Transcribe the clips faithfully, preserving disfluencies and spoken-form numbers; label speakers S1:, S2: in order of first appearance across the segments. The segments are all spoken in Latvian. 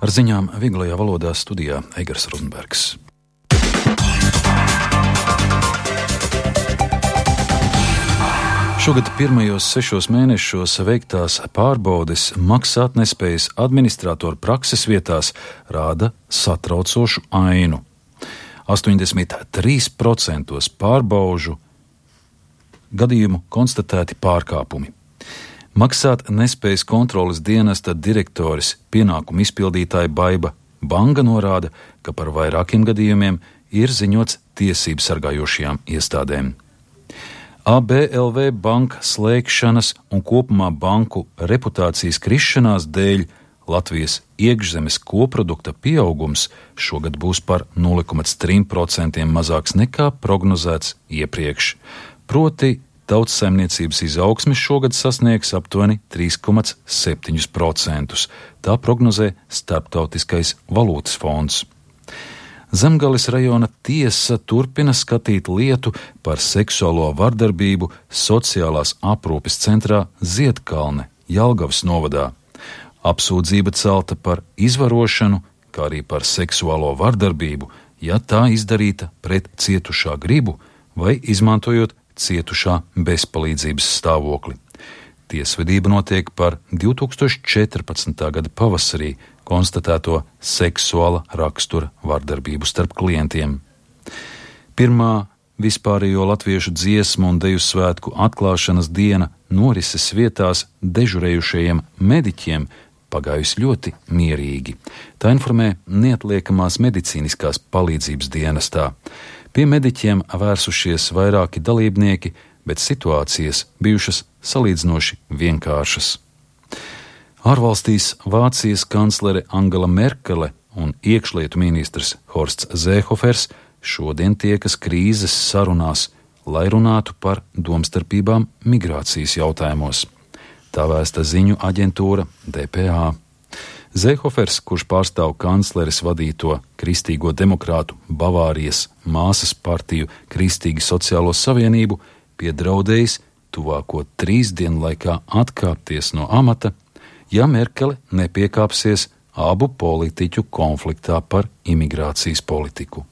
S1: Ar ziņām vieglajā valodā studijā Eigars Rozenbergs. Šogad pirmajos sešos mēnešos veiktās pārbaudes maksātnespējas administratoru prakses vietās rāda satraucošu ainu. astoņdesmit trīs procenti pārbaužu gadījumu konstatēti pārkāpumi. Maksāt nespējas kontroles dienesta direktoris pienākumu izpildītāja Baiba Banga norāda, ka par vairākiem gadījumiem ir ziņots tiesību sargājošajām iestādēm. A B L V banka slēgšanas un kopumā banku reputācijas krišanās dēļ Latvijas iekšzemes koprodukta pieaugums šogad būs par nulle komats trīs procenti mazāks nekā prognozēts iepriekš. Proti, tautsaimniecības izaugsme šogad sasniegs aptuveni trīs komats septiņi procenti. Tā prognozē Starptautiskais valūtas fonds. Zemgales rajona tiesa turpina skatīt lietu par seksuālo vardarbību sociālās aprūpes centrā Ziedkalne, Jelgavas novadā. Apsūdzība celta par izvarošanu, kā arī par seksuālo vardarbību, ja tā izdarīta pret cietušā gribu vai izmantojot cietušā bezpalīdzības stāvokli. Tiesvedība notiek par divi tūkstoši četrpadsmitā gada pavasarī konstatēto seksuāla rakstura vardarbību starp klientiem. Pirmā vispārējo latviešu dziesmu un deju svētku atklāšanas diena norises vietās dežurējušajiem mediķiem pagājusi ļoti mierīgi. Tā informē neatliekamās medicīniskās palīdzības dienestā. Pie mediķiem vērsušies vairāki dalībnieki, bet situācijas bijušas salīdzinoši vienkāršas. Ārvalstīs Vācijas kanclere Angela Merkele un iekšlietu ministrs Horsts Zēhofers šodien tiekas krīzes sarunās, lai runātu par domstarpībām migrācijas jautājumos. Tā vēsta ziņu aģentūra D P A. Zēhofers, kurš pārstāv kancleres vadīto Kristīgo demokrātu Bavārijas māsas partiju Kristīgi sociālo savienību, piedraudējis tuvāko trīs dienu laikā atkāpties no amata, ja Merkele nepiekāpsies abu politiķu konfliktā par imigrācijas politiku.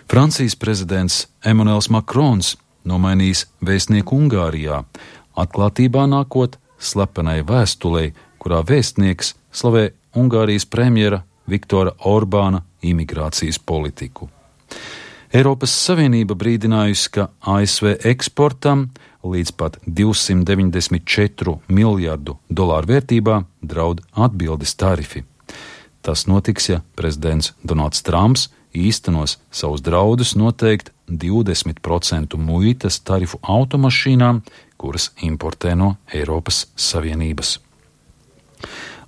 S1: Francijas prezidents Emmanuels Makrons nomainījis vēstnieku Ungārijā, atklātībā nākot slepenai vēstulei, kurā vēstnieks slavē Ungārijas premjera Viktora Orbāna imigrācijas politiku. Eiropas Savienība brīdinājusi, ka A S V eksportam līdz pat divsimt deviņdesmit četru miljardu dolāru vērtībā draud atbildes tarifi. Tas notiks, ja prezidents Donalds Trumps īstenos savus draudus noteikt divdesmit procentu muitas tarifu automašīnām, kuras importē no Eiropas Savienības.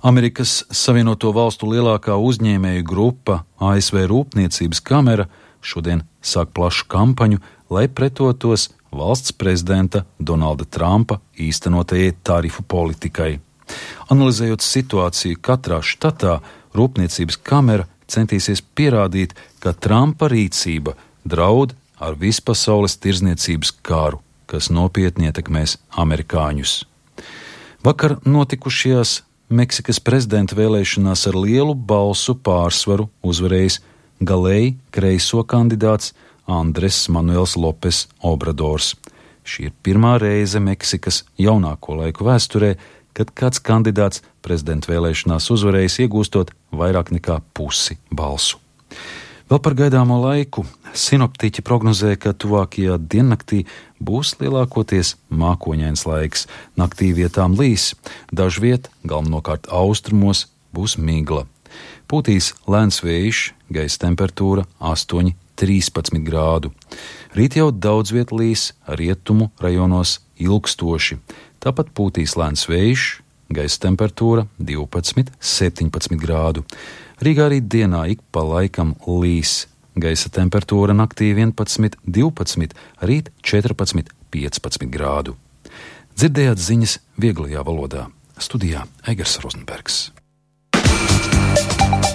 S1: Amerikas Savienoto Valstu lielākā uzņēmēju grupa A S V Rūpniecības kamera šodien sāk plašu kampaņu, lai pretotos valsts prezidenta Donalda Trumpa īstenotajai tarifu politikai. Analizējot situāciju katrā štatā, Rūpniecības kamera centīsies pierādīt, ka Trumpa rīcība draud ar vispasaules tirzniecības kāru, kas nopietni ietekmēs amerikāņus. Vakar notikušajās Meksikas prezidenta vēlēšanās ar lielu balsu pārsvaru uzvarējis galēji kreiso kandidāts Andres Manuels Lopes Obradors. Šī ir pirmā reize Meksikas jaunāko laiku vēsturē, kad kāds kandidāts prezidenta vēlēšanās uzvarējis iegūstot vairāk nekā pusi balsu. Vēl par gaidāmo laiku sinoptiķi prognozē, ka tuvākajā diennaktī būs lielākoties mākoņains laiks, naktī vietām līs, dažviet, galvenokārt austrumos, būs migla. Pūtīs lēns vējš, gaisa temperatūra astoņi līdz trīspadsmit grādu. Rīt jau daudz viet līs, rietumu rajonos ilgstoši. Tāpat pūtīs lēns vējš, gaisa temperatūra divpadsmit līdz septiņpadsmit grādu. Rīgā arī dienā ik pa laikam līs. Gaisa temperatūra naktī vienpadsmit līdz divpadsmit, rīt četrpadsmit līdz piecpadsmit grādu. Dzirdējāt ziņas vieglajā valodā. Studijā Eigars Rozenbergs.